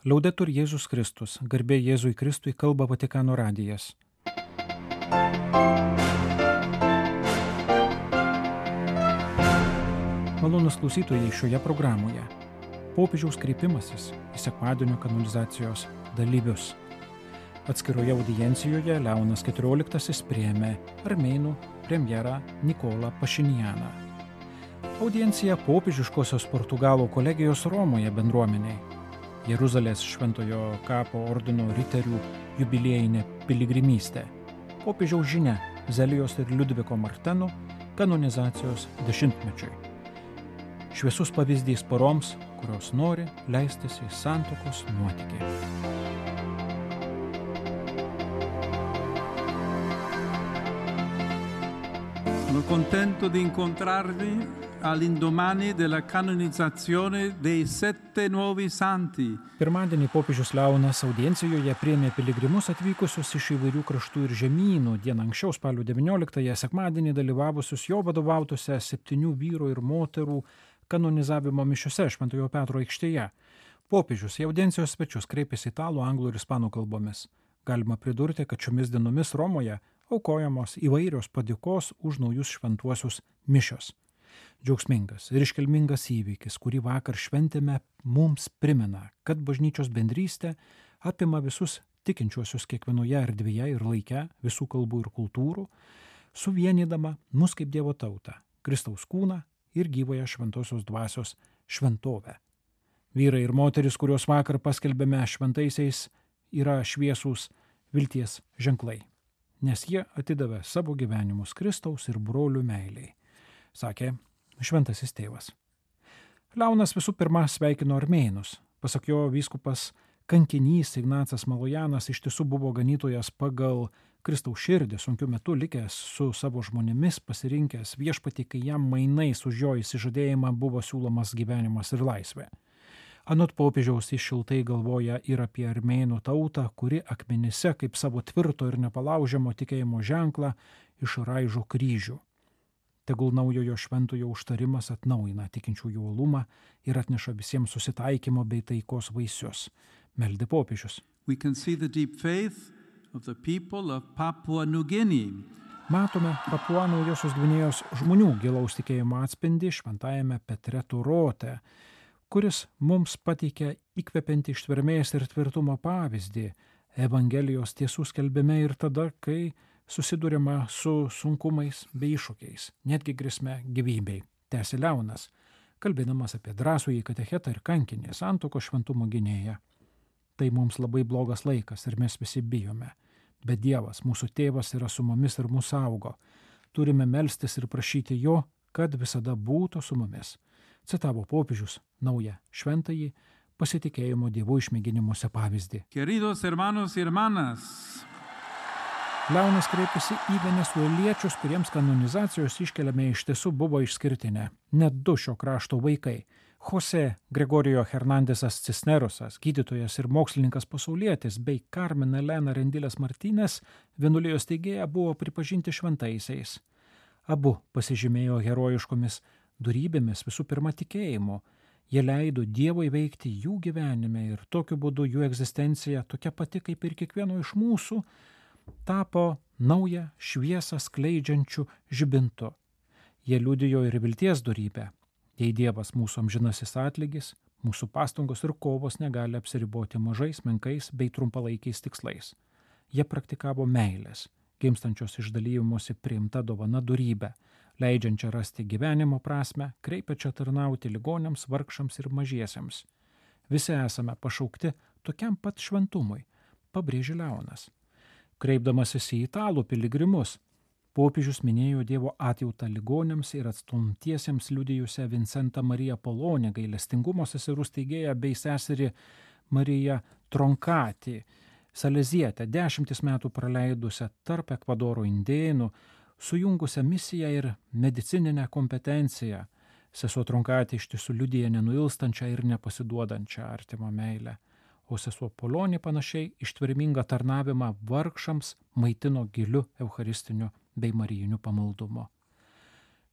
Laudetur Jėzus Kristus, garbė Jėzui Kristui, kalba Vatikano radijas. Malonūs klausytojai šioje programoje. Popiežiaus kreipimasis į sekmadienio kanonizacijos dalyvius. Atskiroje audiencijoje Leonas XIV priėmė armėnų premjerą Nikolą Pašinjaną. Audiencija popiežiškosios Portugalų kolegijos Romoje bendruomeniai. Jeruzalės Šventojo kapo ordino riterių jubiliejinė piligrimystė. Popiežiaus žinia Zelijos ir Liudviko Marteno kanonizacijos 10-mečiui. Šviesus pavyzdys poroms, kurios nori leistis į santuokos nuotykį. Sono contento di incontrarvi all'indomani della canonizzazione dei 7 nuovi santi. Pirmadienį popiežius Leonas audiencijoje priėmė piligrimus atvykusius iš įvairių kraštų ir žemynų. Dieną anksčiau, spalio 19-ąją, sekmadienį dalyvavusius jo vadovautose 7 vyrų ir moterų kanonizavimo mišiose Šventojo Petro aikštėje. Popiežius į audiencijos svečius kreipėsi italų, anglų ir ispanų kalbomis. Galima pridurti, kad šiomis dienomis Romoje aukojamos įvairios padėkos už naujus šventuosius mišios. Džiaugsmingas ir iškilmingas įvykis, kurį vakar šventėme, mums primena, kad bažnyčios bendrystė apima visus tikinčiuosius kiekvienoje erdvėje ir laike, visų kalbų ir kultūrų, suvienydama mus kaip Dievo tautą, Kristaus kūną ir gyvąją šventosios dvasios šventovę. Vyrai ir moteris, kuriuos vakar paskelbėme šventaisiais, yra šviesūs vilties ženklai, nes jie atidavė savo gyvenimus Kristaus ir brolių meiliai, sakė šventasis tėvas. Leonas visų pirma sveikino armėnus. Pasak jo, vyskupas kankinys Ignacas Malojanas iš tiesų buvo ganytojas pagal Kristaus širdį, sunkiu metu likęs su savo žmonėmis, pasirinkęs viešpatį, kai jam mainais už jo išsižadėjimą buvo siūlomas gyvenimas ir laisvė. Anot popiežiaus jis šiltai galvoja ir apie armėnų tautą, kuri akmenyse kaip savo tvirto ir nepalaužiamo tikėjimo ženklą išraižo kryžių. Tegul naujojo šventojo užtarimas atnaujina tikinčiųjų uolumą ir atneša visiems susitaikymo bei taikos vaisius. Meldė popiežius. We can see the deep faith of the people of Papua New Guinea. Matome Papua Naujosios Gvinėjos žmonių gilaus tikėjimo atspindį šventajame Petre Turote, kuris mums pateikia įkvepiantį ištvermės ir tvirtumo pavyzdį Evangelijos tiesų skelbime ir tada, kai susidurima su sunkumais bei iššūkiais, netgi grėsme gyvybei. Tęsė Leonas, kalbėdamas apie drąsųjį katechetą ir kankinį santuokos šventumo gynėją. Tai mums labai blogas laikas ir mes visi bijome. Bet Dievas, mūsų tėvas, yra su mumis ir mūsų saugo. Turime melstis ir prašyti jo, kad visada būtų su mumis. Citavo popiežius naują šventąjį pasitikėjimo Dievu išmėginimuose pavyzdį. Queridos hermanos y hermanas, Leonas kreipėsi į venesueliečius, kuriems kanonizacijos iškeliame iš tiesų buvo išskirtinė. Net 2 šio krašto vaikai. Jose Gregorio Hernandesas Cisnerosas, gydytojas ir mokslininkas pasaulietis, bei Carmen Elena Rendiles Martínez, vienuolijos steigėja, buvo pripažinti šventaisiais. Abu pasižymėjo herojiškomis dorybėmis, visų pirma tikėjimu. Jie leido Dievui veikti jų gyvenime ir tokiu būdu jų egzistencija, tokia pati kaip ir kiekvieno iš mūsų, tapo naują šviesą skleidžiančių žibintu. Jie liudijo ir vilties dorybę. Jei Dievas mūsų amžinasis atlygis, mūsų pastangos ir kovos negali apsiriboti mažais, menkais bei trumpalaikiais tikslais. Jie praktikavo meilės, gimstančios iš dalymosi priimta dovana dorybę, leidžiančią rasti gyvenimo prasmę, kreipiančią tarnauti ligoniams, vargšams ir mažiesiems. Visi esame pašaukti tokiam pat šventumui, pabrėžė Leonas. Kreipdamasis į italų piligrimus, popiežius minėjo Dievo atjautą ligoniams ir atstumtiesiems liudijusią Vincentą Mariją Polonę, gailestingumo seserų steigėją bei seserį Mariją Tronkatį, salezietę, 10 metų praleidusią tarp Ekvadoro indėnų, sujungusią misiją ir medicininę kompetenciją. Sesuo Tronkatį iš tiesų liudija nenuilstančią ir nepasiduodančią artimo meilę. O sesuo Polonė panašiai ištvermingą tarnavimą vargšams maitino giliu eucharistiniu bei marijiniu pamaldumu.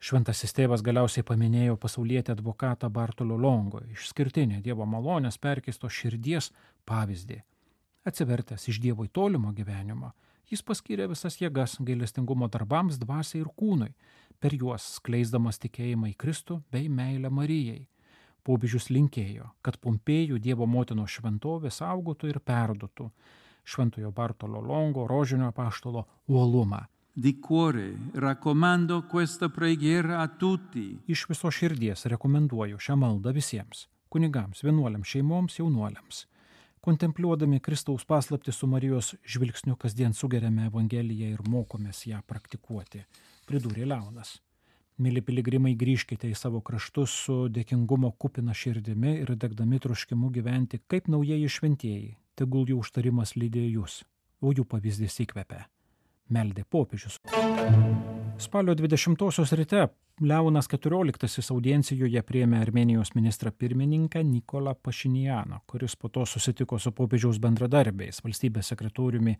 Šventasis tėvas galiausiai paminėjo pasaulietį advokatą Bartolo Longo, išskirtinį Dievo malonės perkeisto širdies pavyzdį. Atsivertęs iš Dievo į tolimo gyvenimo, jis paskyrė visas jėgas gailestingumo darbams dvasiai ir kūnui, per juos skleisdamas tikėjimą į Kristų bei meilę Marijai. Popiežius linkėjo, kad Pompėjų Dievo motinos šventovė saugotų ir perduotų šventojo Bartolo Longo rožinio apaštalo uolumą. Di cuore raccomando questa preghiera a tutti. Iš viso širdies rekomenduoju šią maldą visiems – kunigams, vienuoliams, šeimoms, jaunuoliams. Kontempliuodami Kristaus paslaptį su Marijos žvilgsniu kasdien sugeriame Evangeliją ir mokomės ją praktikuoti, pridūrė Leonas. Mili piligrimai, grįžkite į savo kraštus su dėkingumo kupina širdimi ir degdami troškimu gyventi kaip naujieji šventieji. Tegul jų užtarimas lydėjo jūs, o jų pavyzdys įkvepia. Meldė popiežius. Spalio 20-osios ryte Leonas XIV audiencijoje priėmė Armėnijos ministrą pirmininką Nikolą Pašinjaną, kuris po to susitiko su popiežiaus bendradarbiais, valstybės sekretoriumi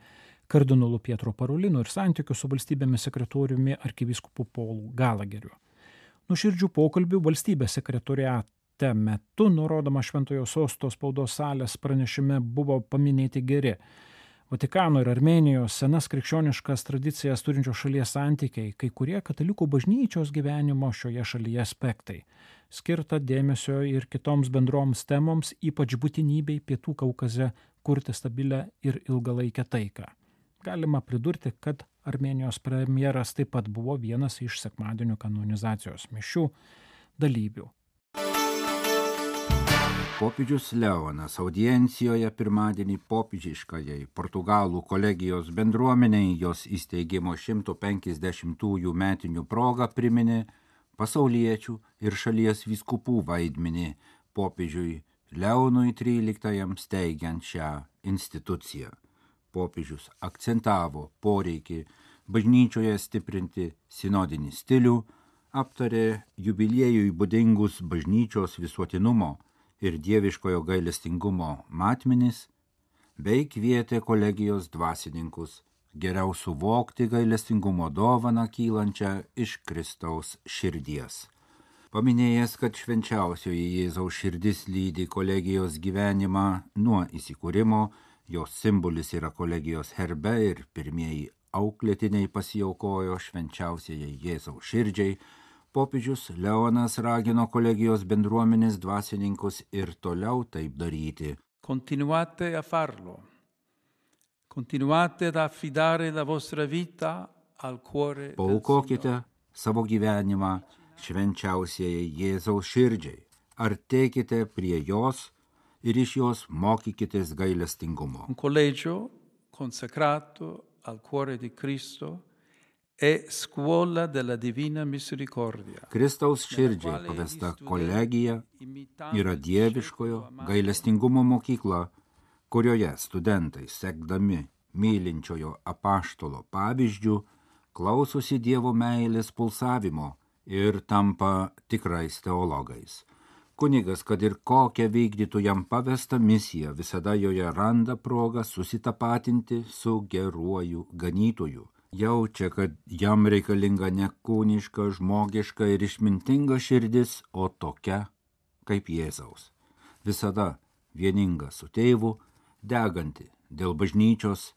kardinolu Pietro Parolinu ir santykių su valstybėmis sekretoriumi arkivyskupu Paulu Galageriu. Nuoširdžių pokalbių valstybės sekretoriate metu, nurodoma Šventojo Sosto spaudos salės pranešime, buvo paminėti geri Vatikano ir Armėnijos senas krikščioniškas tradicijas turinčios šalies santykiai, kai kurie katalikų bažnyčios gyvenimo šioje šalyje aspektai, skirta dėmesio ir kitoms bendroms temoms, ypač būtinybei Pietų Kaukaze kurti stabilę ir ilgalaikę taiką. Galima pridurti, kad Armėnijos premjeras taip pat buvo vienas iš sekmadienio kanonizacijos mišių dalyvių. Popiežius Leonas audiencijoje pirmadienį popiežiškajai Portugalų kolegijos bendruomeniai jos įsteigimo 150-ųjų metinių proga priminė pasauliečių ir šalies vyskupų vaidmenį popiežiui Leonui XIII steigiant šią instituciją. Popiežius akcentavo poreikį bažnyčioje stiprinti sinodinį stilių, aptarė jubiliejui būdingus bažnyčios visuotinumo ir dieviškojo gailestingumo matmenis, bei kvietė kolegijos dvasininkus geriau suvokti gailestingumo dovaną kylančią iš Kristaus širdies. Paminėjęs, kad švenčiausioji Jėzaus širdis lydi kolegijos gyvenimą nuo įsikūrimo, jos simbolis yra kolegijos herbe ir pirmieji auklėtiniai pasiaukojo švenčiausiajai Jėzaus širdžiai, popiežius Leonas ragino kolegijos bendruomenės dvasininkus ir toliau taip daryti. Continuate a farlo. Continuate ad affidare la vostra vita al cuore del Paaukokite savo gyvenimą švenčiausiajai Jėzaus širdžiai, artėkite prie jos ir iš jos mokykitės gailestingumo. Un collegio consacrato al cuore di Cristo e scuola della divina misericordia. Kristaus širdžiai pavesta kolegija yra dieviškojo gailestingumo mokykla, kurioje studentai, sekdami mylinčiojo apaštalo pavyzdžių, klausosi Dievo meilės pulsavimo ir tampa tikrais teologais. Kunigas, kad ir kokią vykdytų jam pavestą misiją, visada joje randa progą susitapatinti su geruoju ganytoju. Jaučia, kad jam reikalinga ne kūniška, žmogiška ir išmintinga širdis, o tokia kaip Jėzaus. Visada vieninga su tėvu, deganti dėl bažnyčios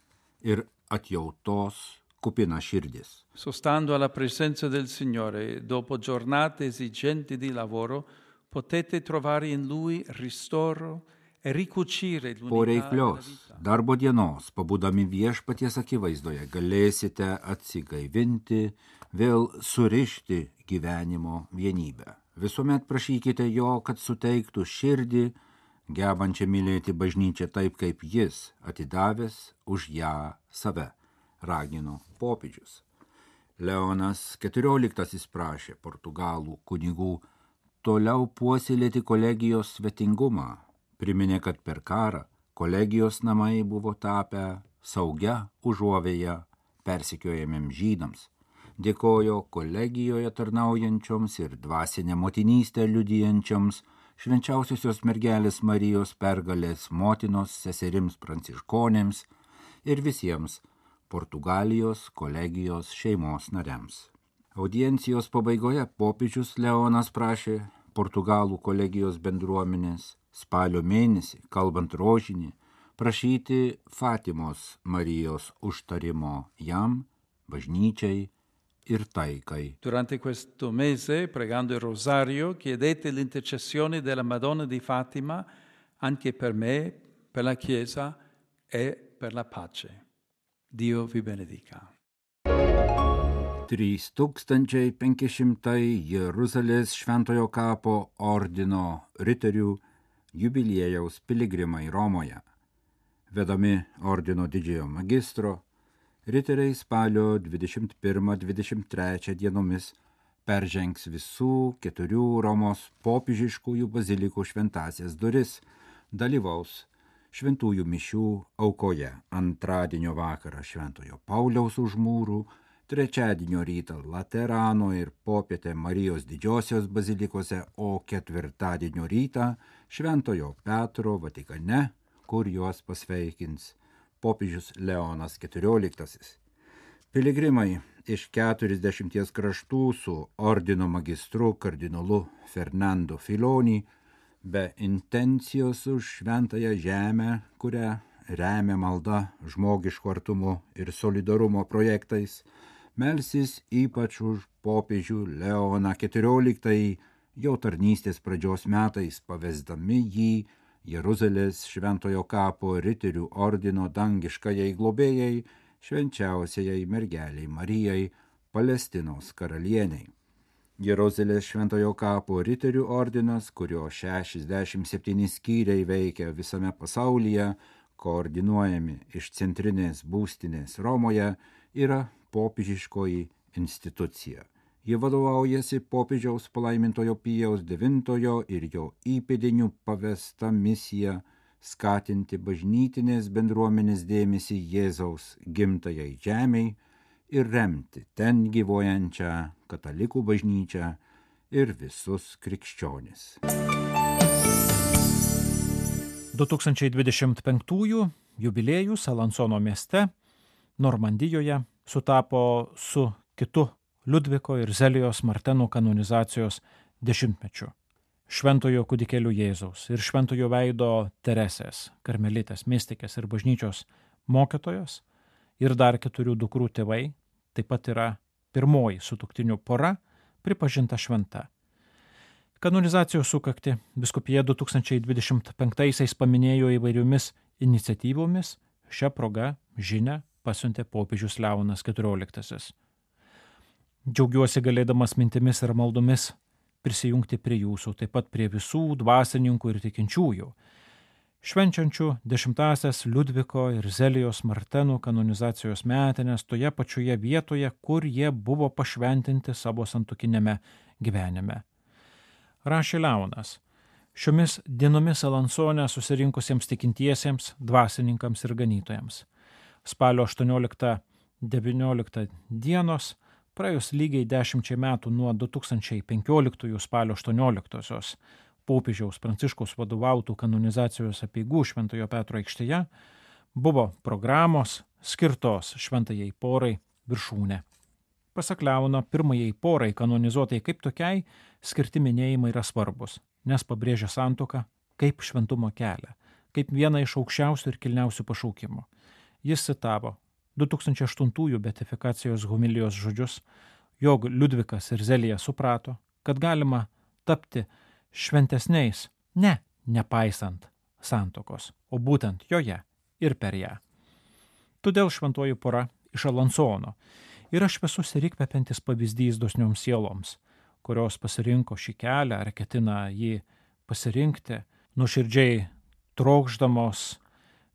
ir atjautos kupina širdis. Sostando alla presenza del Signore, dopo giornate esigenti di lavoro, potete trovare in Lui ristoro e ricucire l'unità Po della reiklios vita. darbo dienos, pabūdami viešpaties akivaizdoje, galėsite atsigaivinti, vėl surišti gyvenimo vienybę. Visuomet prašykite jo, kad suteiktų širdį, gebančią mylėti bažnyčią taip, kaip jis, atidavęs už ją save, ragino popiežius. Leonas XIV prašė Portugalų kunigų toliau puoselėti kolegijos svetingumą. Priminė, kad per karą kolegijos namai buvo tapę saugia užuovėja persekiojamiems žydams. Dėkojo kolegijoje tarnaujančioms ir dvasinę motinystę liudijančioms švenčiausiosios mergelės Marijos pergalės motinos seserims pranciškonėms ir visiems Portugalijos kolegijos šeimos nariams. Audiencijos pabaigoje popiežius Leonas prašė Portugalų kolegijos bendruomenės spalio mėnesį, kalbant rožinį, prašyti Fatimos Marijos užtarimo jam, bažnyčiai ir taikai. Durante questo mese, pregando il rosario, chiedete l'intercessione della Madonna di Fatima anche per me, per la Chiesa e per la pace. Dio vi benedica. 3500 Jeruzalės Šventojo kapo ordino riterių jubiliejaus piligrimai Romoje. Vedami ordino didžiojo magistro, riteriai spalio 21-23 dienomis peržengs visų 4 Romos popiežiškųjų bazilikų šventąsias duris, dalyvaus šventųjų mišių aukoje antradienio vakarą Šventojo Pauliaus už mūrų, trečiadienio rytą Laterano ir popietę Marijos didžiosios bazilikose, o ketvirtadienio rytą Šventojo Petro Vatikane, kur juos pasveikins popiežius Leonas XIV. Piligrimai iš 40 kraštų su ordino magistru kardinolu Fernando Filoni, be intencijos už šventąją žemę, kurią remia malda, žmogiško artumo ir solidarumo projektais, melsis ypač už popiežių Leoną XIV jo tarnystės pradžios metais, pavesdami jį Jeruzalės Šventojo kapo riterių ordino dangiškajai globėjai, švenčiausiajai mergeliai Marijai, Palestinos karalieniai. Jeruzalės Šventojo kapo riterių ordinas, kurio 67 skyriai veikia visame pasaulyje, koordinuojami iš centrinės būstinės Romoje, yra popiežiškoji institucija. Ji vadovaujasi popiežiaus palaimintojo Pijaus IX ir jo įpėdinių pavesta misija skatinti bažnytinės bendruomenės dėmesį Jėzaus gimtajai žemei ir remti ten gyvuojančią katalikų bažnyčią ir visus krikščionis. 2025 jubiliejus Alansono mieste, Normandijoje, sutapo su kitu Liudviko ir Zelijos Martenų kanonizacijos 10-mečiu. Šventojo kūdikėlių Jėzaus ir šventojo veido Teresės, karmelitės, mistikės ir bažnyčios mokytojos ir dar 4 dukrų tėvai, taip pat yra pirmoji sutuoktinių pora pripažinta šventa. Kanonizacijos sukaktį vyskupija 2025-aisiais paminėjo įvairiomis iniciatyvomis, šią progą žinią pasiuntė popiežius Leonas XIV. Džiaugiuosi galėdamas mintimis ir maldomis prisijungti prie jūsų, taip pat prie visų dvasininkų ir tikinčiųjų, švenčiančių 10-asias Liudviko ir Zelijos Martenų kanonizacijos metinės toje pačioje vietoje, kur jie buvo pašventinti savo santuokinėme gyvenime. Rašė Leonas, šiomis dienomis Alansone susirinkusiems tikintiesiems, dvasininkams ir ganytojams. Spalio 18-19 dienos, praėjus lygiai 10 metų nuo 2015 spalio 18-osios popiežiaus Pranciškaus vadovautų kanonizacijos apeigų Šventojo Petro aikštėje, buvo programos skirtos šventajai porai viršūnė. Pasak Leono, pirmajai porai kanonizuotai kaip tokiai skirti minėjimai yra svarbus, nes pabrėžia santuoką kaip šventumo kelią, kaip vieną iš aukščiausių ir kilniausių pašaukimų. Jis citavo 2008 beatifikacijos homilijos žodžius, jog Liudvikas ir Zelija suprato, kad galima tapti šventesniais, nepaisant santuokos, o būtent joje ir per ją. Todėl šventoji pora iš Alansono yra šviesus ir įkvepiantis pavyzdys dosnioms sieloms, kurios pasirinko šį kelią ar ketina jį pasirinkti, nuoširdžiai trokšdamos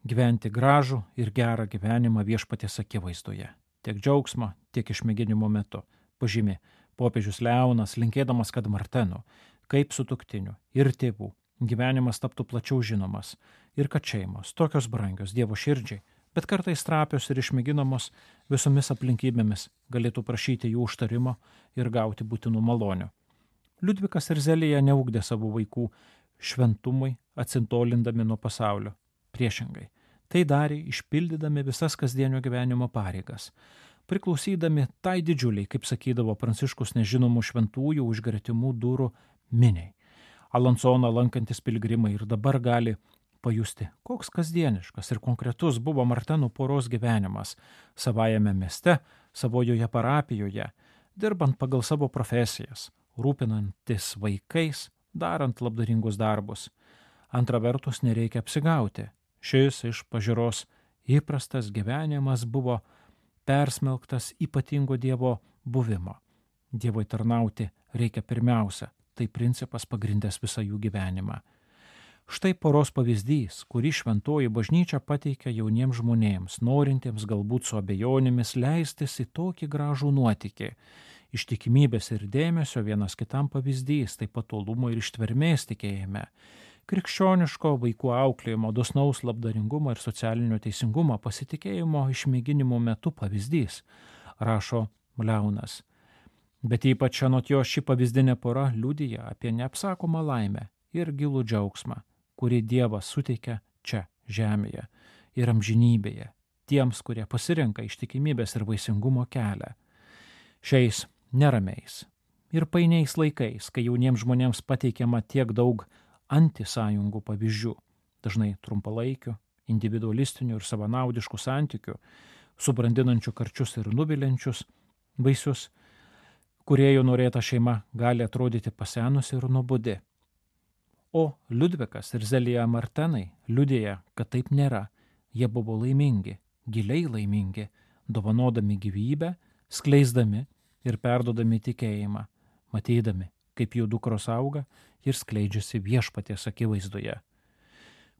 gyventi gražų ir gerą gyvenimą viešpaties akivaizdoje, tiek džiaugsmo, tiek išmėginimo metu, pažymi popiežius Leonas, linkėdamas, kad Martenų, kaip sutuoktinių ir tėvų, gyvenimas taptų plačiau žinomas ir kad šeimos, tokios brangios Dievo širdžiai, bet kartais trapios ir išmėginamos visomis aplinkybėmis, galėtų prašyti jų užtarimo ir gauti būtinų malonių. Liudvikas ir Zelija neugdė savo vaikų šventumui, atsitolindami nuo pasaulio. Priešingai, tai darė išpildydami visas kasdienio gyvenimo pareigas, priklausydami tai didžiuliai, kaip sakydavo Pranciškus, nežinomų šventųjų už gretimų durų miniai. Alansoną lankantis piligrimai ir dabar gali pajusti, koks kasdieniškas ir konkretus buvo Martenų poros gyvenimas savajame mieste, savojoje parapijoje, dirbant pagal savo profesijas, rūpinantis vaikais, darant labdaringus darbus. Antra vertus, nereikia apsigauti. Šis iš pažiūros įprastas gyvenimas buvo persmelktas ypatingo Dievo buvimo. Dievui tarnauti reikia pirmiausia, tai principas pagrindęs visą jų gyvenimą. Štai poros pavyzdys, kurį šventoji bažnyčia pateikia jauniems žmonėms, norintiems galbūt su abejonėmis leistis į tokį gražų nuotykį. Ištikimybės ir dėmesio vienas kitam pavyzdys, taip pat tolumo ir ištvermės tikėjime. Krikščioniško vaikų auklėjimo, dosnaus labdaringumo ir socialinio teisingumo pasitikėjimo išmėginimo metu pavyzdys, rašo Leonas. Bet ypač anot jo ši pavyzdinė pora liudija apie neapsakomą laimę ir gilų džiaugsmą, kurį Dievas suteikia čia, žemėje ir amžinybėje, tiems, kurie pasirenka ištikimybės ir vaisingumo kelią. Šiais neramiais ir painiais laikais, kai jauniems žmonėms pateikiama tiek daug antisąjungų pavyzdžių, dažnai trumpalaikių, individualistinių ir savanaudiškų santykių, subrandinančių karčius ir nuviliančius vaisius, kūrėjų norėta šeima gali atrodyti pasenusi ir nuobodi. O Liudvikas ir Zelija Martenai liudija, kad taip nėra. Jie buvo laimingi, giliai laimingi, dovanodami gyvybę, skleisdami ir perdodami tikėjimą, matydami, kaip jų dukros auga ir skleidžiasi viešpaties akivaizdoje.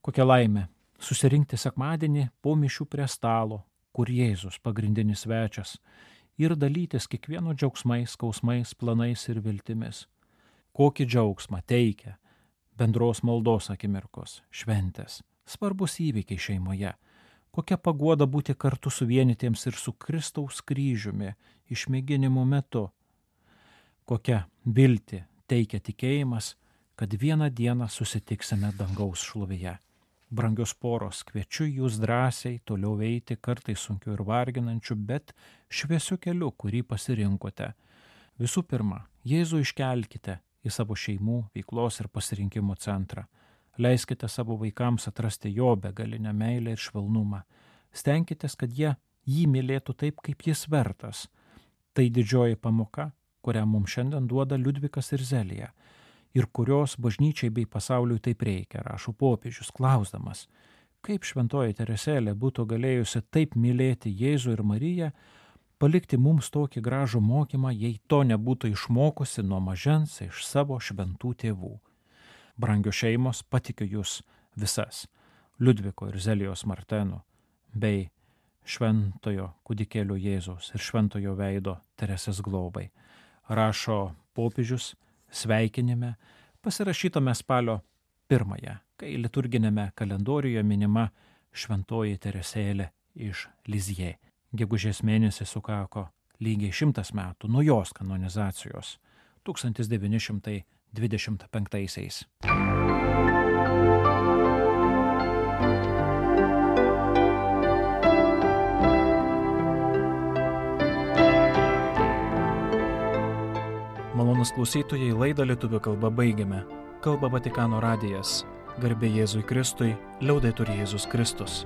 Kokia laimė susirinkti sekmadienį po mišių prie stalo, kur Jėzus pagrindinis svečias, ir dalytis kiekvieno džiaugsmais, skausmais, planais ir viltimis. Kokį džiaugsmą teikia bendros maldos akimirkos, šventės, svarbus įvykiai šeimoje, kokia paguoda būti kartu suvienytiems ir su Kristaus kryžiumi išmėginimo metu, kokia viltį teikia tikėjimas, kad vieną dieną susitiksime dangaus šlovėje. Brangios poros, kviečiu jūs drąsiai toliau eiti kartais sunkiu ir varginančiu, bet šviesiu keliu, kurį pasirinkote. Visų pirma, Jėzų iškelkite į savo šeimų, veiklos ir pasirinkimų centrą. Leiskite savo vaikams atrasti jo begalinę meilę ir švelnumą. Stenkitės, kad jie jį mylėtų taip, kaip jis vertas. Tai didžioji pamoka, kurią mums šiandien duoda Liudvikas ir Zelija, ir kurios bažnyčiai bei pasauliui taip reikia, rašo popiežius, klausdamas, kaip šventoji Teresėlė būtų galėjusi taip mylėti Jėzų ir Mariją, palikti mums tokį gražų mokymą, jei to nebūtų išmokusi nuo mažens iš savo šventų tėvų. Brangios šeimos, patikiu jūs visas, Liudviko ir Zelijos Martenų, bei šventojo kūdikėlio Jėzaus ir šventojo veido Teresės globai. Rašo popiežius sveikinime, pasirašytame spalio 1, kai liturginėme kalendoriuje minima šventoji Teresėlė iš Lizjė. Gegužės mėnesį sukako lygiai 100 metų nuo jos kanonizacijos 1925-aisiais. Malonūs klausytojai, laidą lietuvių kalba baigiame. Kalba Vatikano radijas. Garbė Jėzui Kristui, liaudetur Jėzus Kristus.